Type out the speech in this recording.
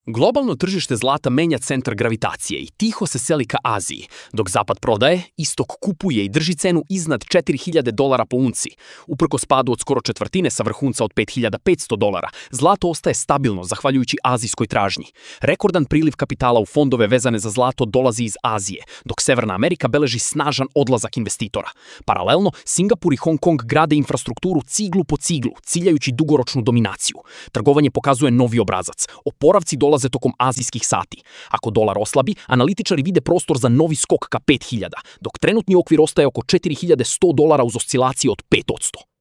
Globalno tržište zlata menja centar gravitacije i tiho se seli ka Aziji, dok Zapad prodaje, Istok kupuje i drži cenu iznad $4.000 po unci. Uprkos spadu od skoro četvrtine sa vrhunca od $5.500, zlato ostaje stabilno zahvaljujući azijskoj tražnji. Rekordan priliv kapitala u fondove vezane za zlato dolazi iz Azije, dok Severna Amerika beleži snažan odlazak investitora. Paralelno, Singapur i Hong Kong grade infrastrukturu ciglu po ciglu, ciljajući dugoročnu dominaciju. Trgovanje pokazuje novi obrazac. Oporavci dolaze tokom azijskih sati. Ako dolar oslabi, analitičari vide prostor za novi skok ka 5.000, dok trenutni okvir ostaje oko $4.100 uz oscilacije od 5%.